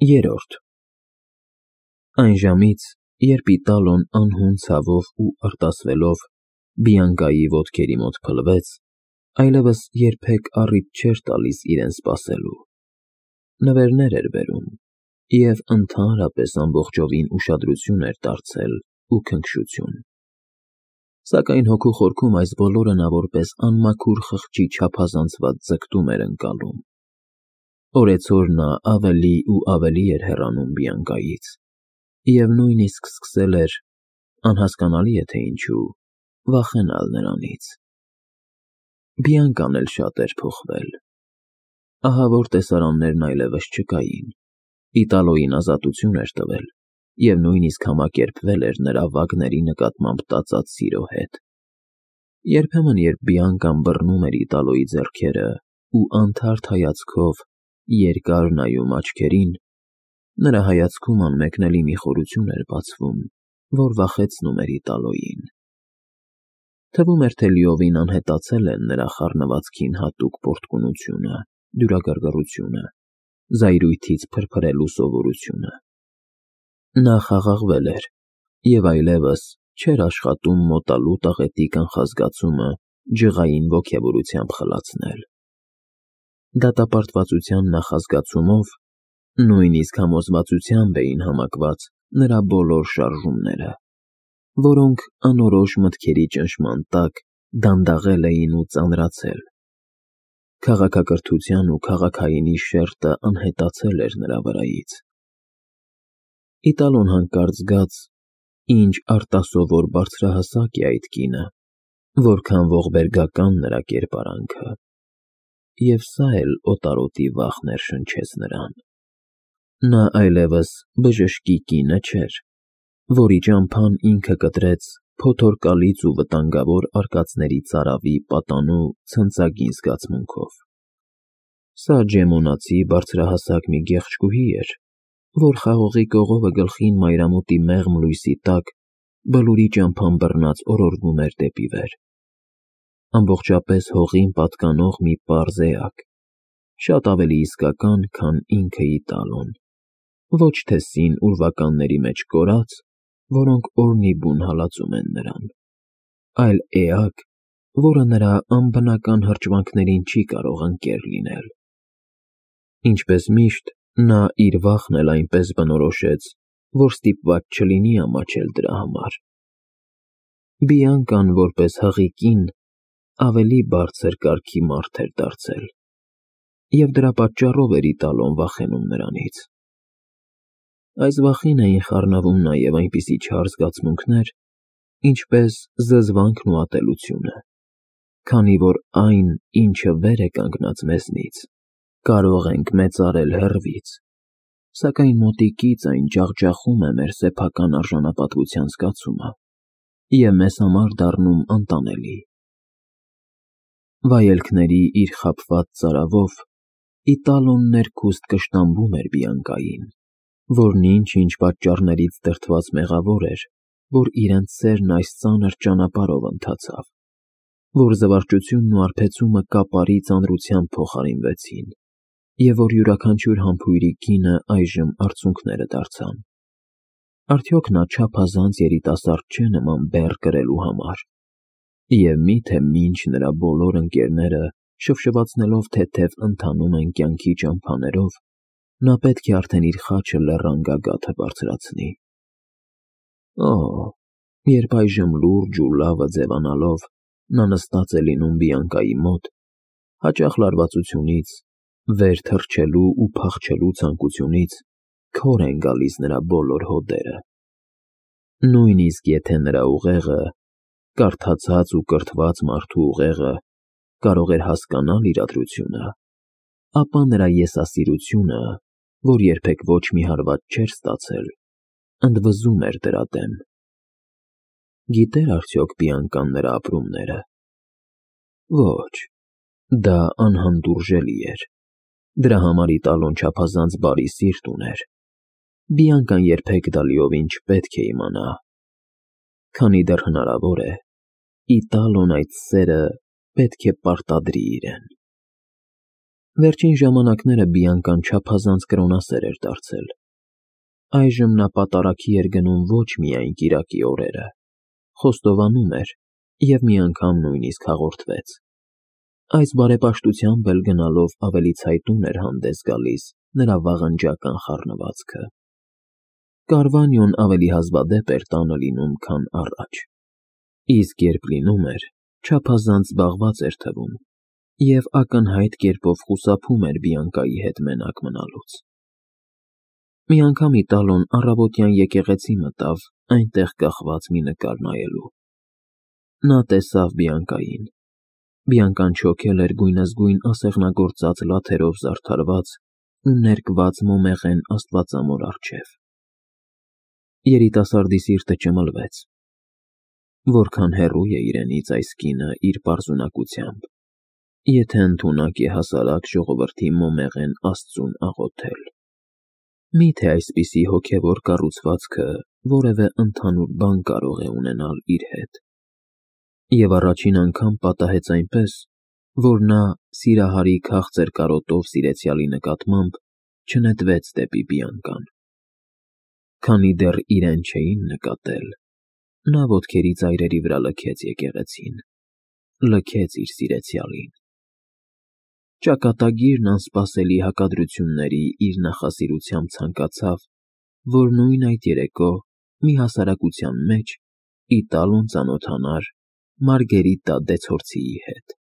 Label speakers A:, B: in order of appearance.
A: Երրորդ Այն ժամից, երբ Իտալոն անհուն ցավով ու արտասվելով Բիանկայի ոտքերի մոտ փլվեց, այլևս երբեք առիթ չէր տալիս իրեն սպասելու։ Նվերներ էր բերում և ընդհանրապես ամբողջովին ուշադրություն էր դարձել ու քնքշություն։ Սակայն հոգու խորքում այս բոլորը նա որպես անմաքուր խղճի չափազանցված ձգտում էր ընկալում։ Օրեցօր նա ավելի ու ավելի էր հեռանում Բիանկայից և նույնիսկ սկսել էր, անհասկանալի է թե ինչու, վախենալ նրանից։ Բիանկան էլ շատ էր փոխվել։ Ահավոր տեսարաններն այլևս չկային, Իտալոյին ազատություն էր տվել և նույնիսկ համակերպվել էր նրա վագների նկատմամբ տածած սիրո հետ։ Երբեմն, երբ Բիանկան բռնում էր Իտալոյի ձեռքերը ու անթարթ հայացքով երկար նայում աչքերին, նրա հայացքում անմեկնելի մի խորություն էր բացվում, որ վախեցնում էր Իտալոյին։ Թվում էր, թե լիովին անհետացել են նրա խառնվածքին հատուկ պոռթկունությունը, դյուրագռգռությունը, զայրույթից փրփրելու սովորությունը։ Նա խաղաղվել էր և այլևս չէր աշխատում մոտալու տաղետի կանխազգացումը ջղային ոգևորությամբ խլացնել։ Դատապարտվածության նախազգացումով, նույնիսկ համոզվածությամբ էին համակված նրա բոլոր շարժումները, որոնք անորոշ մտքերի ճնշման տակ դանդաղել էին ու ծանրացել։ Քաղաքակրթության ու քաղաքայինի շերտը անհետացել էր նրա վրայից։ Իտալոն հանկարծ զգաց, ինչ արտասովոր բարձրահասակ է այդ կինը, որքան ողբերգական նրա կերպարանքը, և սա էլ օտարոտի վախ ներշնչեց նրան։ Նա այլևս բժշկի կինը չէր, որի ճամփան ինքը կտրեց փոթորկալից ու վտանգավոր արկածների ծարավի պատանու ցնծագին զգացմունքով։ Սա ջեմոնացի բարձրահասակ մի գեղեցկուհի էր, որ խաղողի կողովը գլխին մայրամուտի մեղմ լույսի տակ բլուրի ճամփան բռնած օրորվում էր դեպի վեր։ Ամբողջապես հողին պատկանող մի պարզ էակ, շատ ավելի իսկական, քան ինքը Իտալոն, ոչ թե սին ուրվականների մեջ կորած, որոնք օրնիբուն հալածում են նրան, այլ էակ, որը նրա անբնական հրճվանքներին չի կարող ընկեր լինել։ Ինչպես միշտ, նա իր վախն էլ այնպես բնորոշեց, որ ստիպված չլինի ամաչել դրա համար։ Բիանկան, որպես հղի կին, ավելի բարձր կարգի մարդ էր դարձել, և դրա պատճառով էր Իտալոն վախենում նրանից։ Այս վախին էին խառնվում նաև այնպիսի չար զգացմունքներ, ինչպես զզվանքն ու ատելությունը, քանի որ այն, ինչը վեր է կանգնած մեզնից, կարող ենք մեծարել հեռվից, սակայն մոտիկից այն ջախջախում է մեր սեփական արժանապատվության զգացումը և մեզ համար դառնում անտանելի։ Վայելքների իր խաբված ծարավով Իտալոն ներքուստ կշտամբում էր Բիանկային, որն ինչ-ինչ պատճառներից դրդված մեղավոր էր, որ իրենց սերն այս ծանր ճանապարհով ընթացավ, որ զվարճությունն ու արբեցումը կապարի ծանրությամբ փոխարինվեցին, և որ յուրաքանչյուր համբույրի գինը այժմ արցունքները դարձան։ Արդյոք նա չափազանց երիտասարդ չէ նման բեռ կրելու համար, և մի՞թե մինչ նրա բոլոր ընկերները շվշվացնելով թեթև ընթանում են կյանքի ճամփաներով, նա պետք է արդեն իր խաչը լեռան գագաթը բարձրացնի։ Օհ, երբ այժմ լուրջ ու լավը ձևանալով նա նստած է լինում Բիանկայի մոտ, հաճախ լարվածությունից, վեր թռչելու ու փախչելու ցանկությունից քոր են գալիս նրա բոլոր հոդերը։ Նույնիսկ եթե նրա ուղեղը, կարդացած ու կրթված մարդու ուղեղը, կարող էր հասկանալ իրադրությունը, ապա նրա եսասիրությունը, որ երբեք ոչ մի հարված չէր ստացել, ընդվզում էր դրա դեմ։ Գիտե՞ր արդյոք Բիանկան նրա ապրումները։ Ոչ, դա անհանդուրժելի էր։ Դրա համար Իտալոն չափազանց բարի սիրտ ուներ։ Բիանկան երբեք դա լիովին չպետք է իմանա։ Քանի դեռ հնարավոր է, Իտալոն այդ սերը պետք է պարտադրի իրեն։ Վերջին ժամանակները Բիանկան չափազանց կրոնասեր էր դարձել։ Այժմ նա պատարագի էր գնում ոչ միայն կիրակի օրերը, խոստովանում էր և մի անգամ նույնիսկ հաղորդվեց։ Այս բարեպաշտությամբ էլ գնալով ավելի ցայտուն էր հանդես գալիս նրա վաղնջական խառնվածքը։ Կարվանիոն ավելի հազվադեպ էր տանը լինում, քան առաջ, իսկ երբ լինում էր, չափազանց զբաղված էր թվում և ակնհայտ կերպով խուսափում էր Բիանկայի հետ մենակ մնալուց։ Մի անգամ Իտալոն առավոտյան եկեղեցի մտավ այնտեղ կախված մի նկար նայելու։ Նա տեսավ Բիանկային։ Բիանկան չոքել էր գույնզգույն ասեղնագործած լաթերով զարդարված ու ներկված մոմեղեն աստվածամոր առջև։ Երիտասարդի սիրտը ճմլվեց։ Որքան հեռու է իրենից այս կինը իր պարզունակությամբ, եթե ընդունակ է հասարակ ժողովրդի մոմեղեն Աստծուն աղոթել։ Մի՞թե այսպիսի հոգևոր կառուցվածքը որևէ ընդհանուր բան կարող է ունենալ իր հետ։ Եվ առաջին անգամ պատահեց այնպես, որ նա սիրահարի քաղցր կարոտով սիրեցյալի նկատմամբ չնետվեց դեպի Բիանկան։ Քանի դեռ իրեն չէին նկատել, նա ոտքերի ծայրերի վրա լքեց եկեղեցին, լքեց իր սիրեցյալին։ Ճակատագիրն անսպասելի հակադրությունների իր նախասիրությամբ ցանկացավ, որ նույն այդ երեկո մի հասարակության մեջ Իտալոն ծանոթանար Մարգերիտա դե Ցորցիի հետ։